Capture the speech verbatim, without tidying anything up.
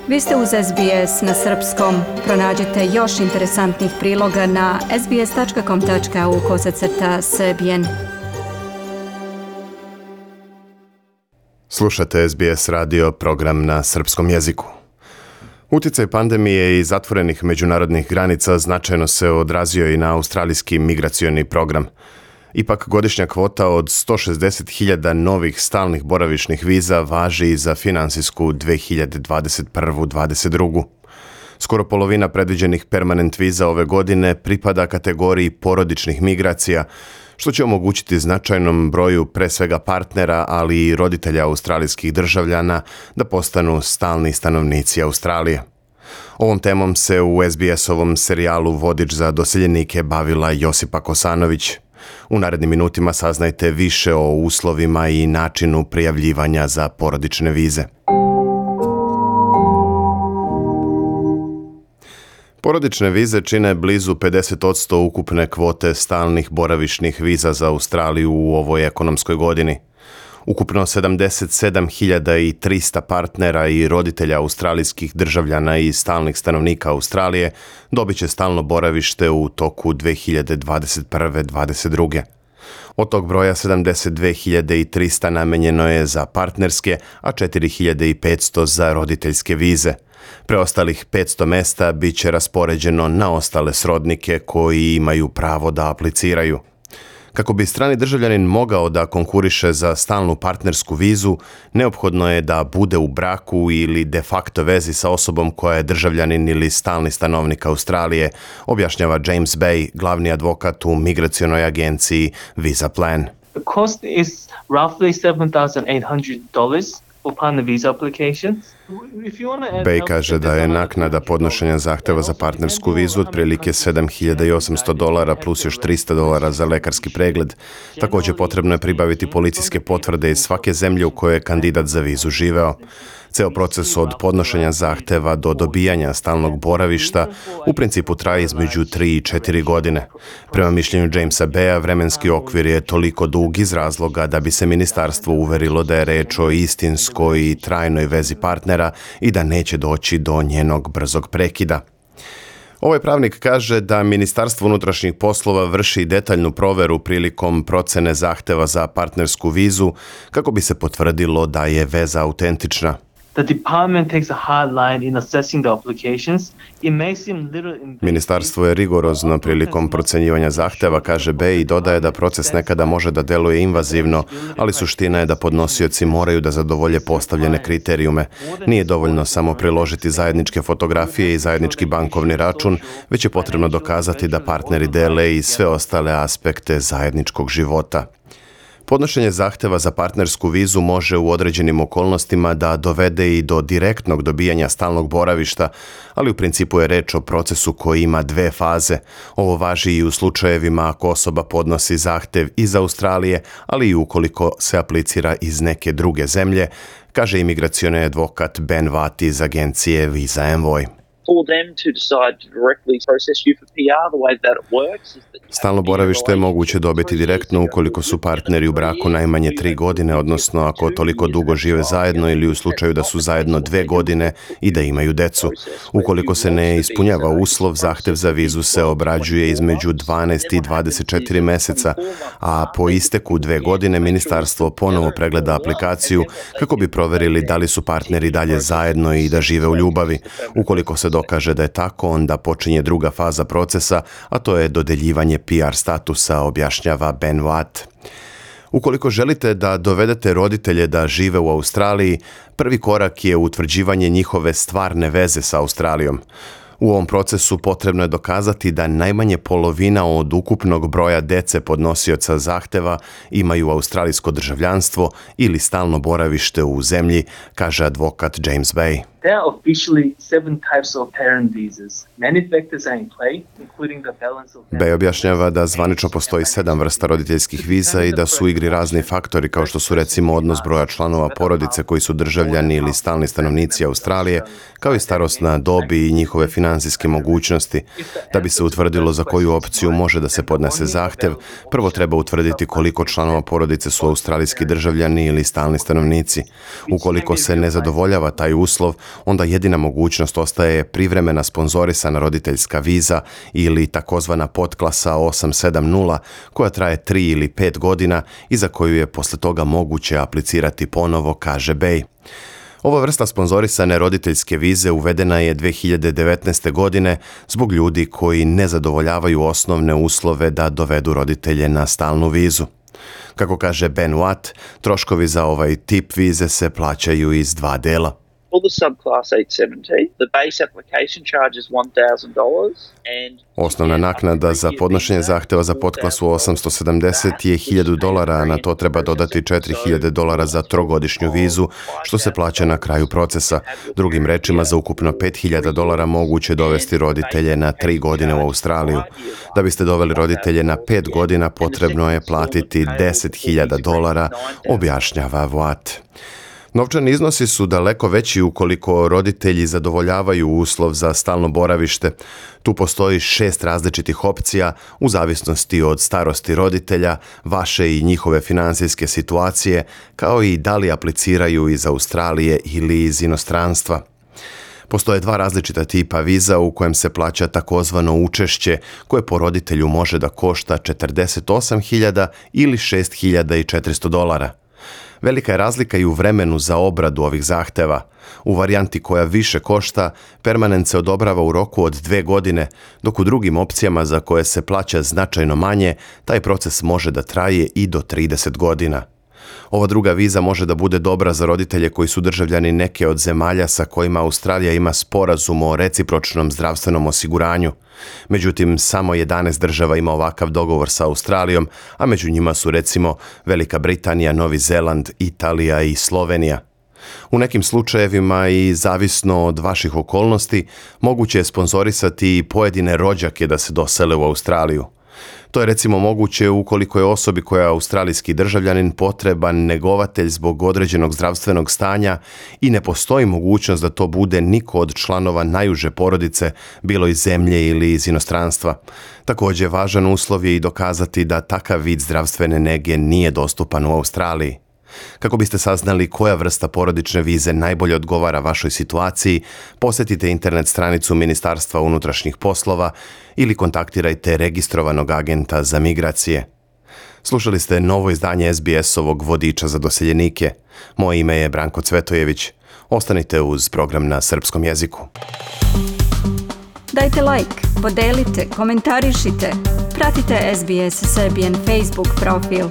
Vi ste uz S B S na srpskom. Pronađite još interesantnih priloga na sbs.com.au kosacrta srbijen. Slušate S B S radio, program na srpskom jeziku. Uticaj pandemije i zatvorenih međunarodnih granica značajno se odrazio i na australijski migracioni program. Ipak godišnja kvota od sto šezdeset hiljada novih stalnih boravišnih viza važi i za finansijsku dve hiljade dvadeset prvu dvadeset drugu. Skoro polovina predviđenih permanent viza ove godine pripada kategoriji porodičnih migracija, što će omogućiti značajnom broju pre svega partnera, ali i roditelja australijskih državljana da postanu stalni stanovnici Australije. Ovom temom se u S B S-ovom serijalu Vodič za doseljenike bavila Josipa Kosanović. U narednim minutima saznajte više o uslovima i načinu prijavljivanja za porodične vize. Porodične vize čine blizu pedeset posto ukupne kvote stalnih boravišnih viza za Australiju u ovoj ekonomskoj godini. Ukupno sedamdeset sedam hiljada trista partnera i roditelja australijskih državljana i stalnih stanovnika Australije dobit će stalno boravište u toku dve hiljade dvadeset prve dvadeset druge. Od tog broja sedamdeset dve hiljade trista namenjeno je za partnerske, a četiri hiljade petsto za roditeljske vize. Preostalih petsto mesta bit će raspoređeno na ostale srodnike koji imaju pravo da apliciraju. Kako bi strani državljanin mogao da konkuriše za stalnu partnersku vizu, neophodno je da bude u braku ili de facto vezi sa osobom koja je državljanin ili stalni stanovnik Australije, objašnjava James Bay, glavni advokat u migracionoj agenciji Visa Plan. The cost is roughly seven thousand eight hundred dollars for partner visa applications. Bay kaže da je naknada podnošenja zahteva za partnersku vizu otprilike sedam hiljada osamsto dolara plus još trista dolara za lekarski pregled. Također potrebno je pribaviti policijske potvrde iz svake zemlje u kojoj je kandidat za vizu živeo. Ceo proces od podnošenja zahteva do dobijanja stalnog boravišta u principu traje između tri i četiri godine. Prema mišljenju Jamesa Baya, vremenski okvir je toliko dug iz razloga da bi se ministarstvo uverilo da je reč o istinskoj i trajnoj vezi partnera i da neće doći do njenog brzog prekida. Ovaj pravnik kaže da Ministarstvo unutrašnjih poslova vrši detaljnu proveru prilikom procene zahteva za partnersku vizu kako bi se potvrdilo da je veza autentična. The department takes a hard line in assessing the applications. It may seem little in... Ministarstvo je rigorozno prilikom procenjivanja zahteva, kaže Bay, i dodaje da proces nekada može da deluje invazivno, ali suština je da podnosioci moraju da zadovolje postavljene kriterijume. Nije dovoljno samo priložiti zajedničke fotografije i zajednički bankovni račun, već je potrebno dokazati da partneri dele i sve ostale aspekte zajedničkog života. Podnošenje zahteva za partnersku vizu može u određenim okolnostima da dovede i do direktnog dobijanja stalnog boravišta, ali u principu je reč o procesu koji ima dve faze. Ovo važi i u slučajevima ako osoba podnosi zahtev iz Australije, ali i ukoliko se aplicira iz neke druge zemlje, kaže imigracioni advokat Ben Watt iz agencije Visa Envoy. Stalno boravište je moguće dobiti direktno ukoliko su partneri u braku najmanje tri godine, odnosno ako toliko dugo žive zajedno ili u slučaju da su zajedno dve godine i da imaju decu. Ukoliko se ne ispunjava uslov, zahtev za vizu se obrađuje između dvanaest i dvadeset četiri meseca, a po isteku dve godine ministarstvo ponovo pregleda aplikaciju kako bi proverili da li su partneri dalje zajedno i da žive u ljubavi. Ukoliko se dokaže da je tako, onda počinje druga faza procesa, a to je dodeljivanje P R statusa, objašnjava Ben Watt. Ukoliko želite da dovedete roditelje da žive u Australiji, prvi korak je utvrđivanje njihove stvarne veze sa Australijom. U ovom procesu potrebno je dokazati da najmanje polovina od ukupnog broja dece podnosioca zahteva imaju australijsko državljanstvo ili stalno boravište u zemlji, kaže advokat James Bay. There are officially seven types of parent visas. Many factors are in play, including the balance of... Bay objašnjava da zvanično postoji sedam vrsta roditeljskih viza i da su u igri razni faktori kao što su recimo odnos broja članova porodice koji su državljani ili stalni stanovnici Australije, kao i starosna dob i njihove finansijske mogućnosti. Da bi se utvrdilo za koju opciju može da se podnese zahtev, prvo treba utvrditi koliko članova porodice su australijski državljani ili stalni stanovnici. Ukoliko se ne zadovoljava taj uslov, onda jedina mogućnost ostaje privremena sponzorisana roditeljska viza ili takozvana podklasa osam sedam nula koja traje tri ili pet godina i za koju je posle toga moguće aplicirati ponovo, kaže Bay. Ova vrsta sponzorisane roditeljske vize uvedena je dve hiljade devetnaeste. godine zbog ljudi koji ne zadovoljavaju osnovne uslove da dovedu roditelje na stalnu vizu. Kako kaže Ben Watt, troškovi za ovaj tip vize se plaćaju iz dva dela. For the subclass eight seventy, the base application charge is one thousand dollars and Osnovna naknada za podnošenje zahteva za podklasu osamsto sedamdeset je hiljadu dolara, a na to treba dodati četiri hiljade dolara za trogodišnju vizu, što se plaća na kraju procesa. Drugim rečima, za ukupno pet hiljada dolara moguće dovesti roditelje na tri godine u Australiju. Da biste doveli roditelje na pet godina, potrebno je platiti deset hiljada dolara, objašnjava Watt. Novčani iznosi su daleko veći ukoliko roditelji zadovoljavaju uslov za stalno boravište. Tu postoji šest različitih opcija u zavisnosti od starosti roditelja, vaše i njihove finansijske situacije, kao i da li apliciraju iz Australije ili iz inostranstva. Postoje dva različita tipa viza u kojem se plaća takozvano učešće koje po roditelju može da košta četrdeset osam hiljada ili šest hiljada četiristo dolara. Velika je razlika i u vremenu za obradu ovih zahteva. U varijanti koja više košta, permanent se odobrava u roku od dve godine, dok u drugim opcijama za koje se plaća značajno manje, taj proces može da traje i do trideset godina. Ova druga viza može da bude dobra za roditelje koji su državljani neke od zemalja sa kojima Australija ima sporazum o recipročnom zdravstvenom osiguranju. Međutim, samo jedanaest država ima ovakav dogovor sa Australijom, a među njima su recimo Velika Britanija, Novi Zeland, Italija i Slovenija. U nekim slučajevima i zavisno od vaših okolnosti, moguće je sponzorisati i pojedine rođake da se dosele u Australiju. To je recimo moguće ukoliko je osobi koja je australijski državljanin potreban negovatelj zbog određenog zdravstvenog stanja i ne postoji mogućnost da to bude niko od članova najuže porodice, bilo iz zemlje ili iz inostranstva. Također, važan uslov je i dokazati da takav vid zdravstvene nege nije dostupan u Australiji. Kako biste saznali koja vrsta porodične vize najbolje odgovara vašoj situaciji, posjetite internet stranicu Ministarstva unutrašnjih poslova ili kontaktirajte registrovanog agenta za migracije. Slušali ste novo izdanje es be es-ovog vodiča za doseljenike. Moje ime je Branko Cvetojević. Ostanite uz program na srpskom jeziku. Dajte like, podelite, komentarišite. Pratite es be es Serbian Facebook profil.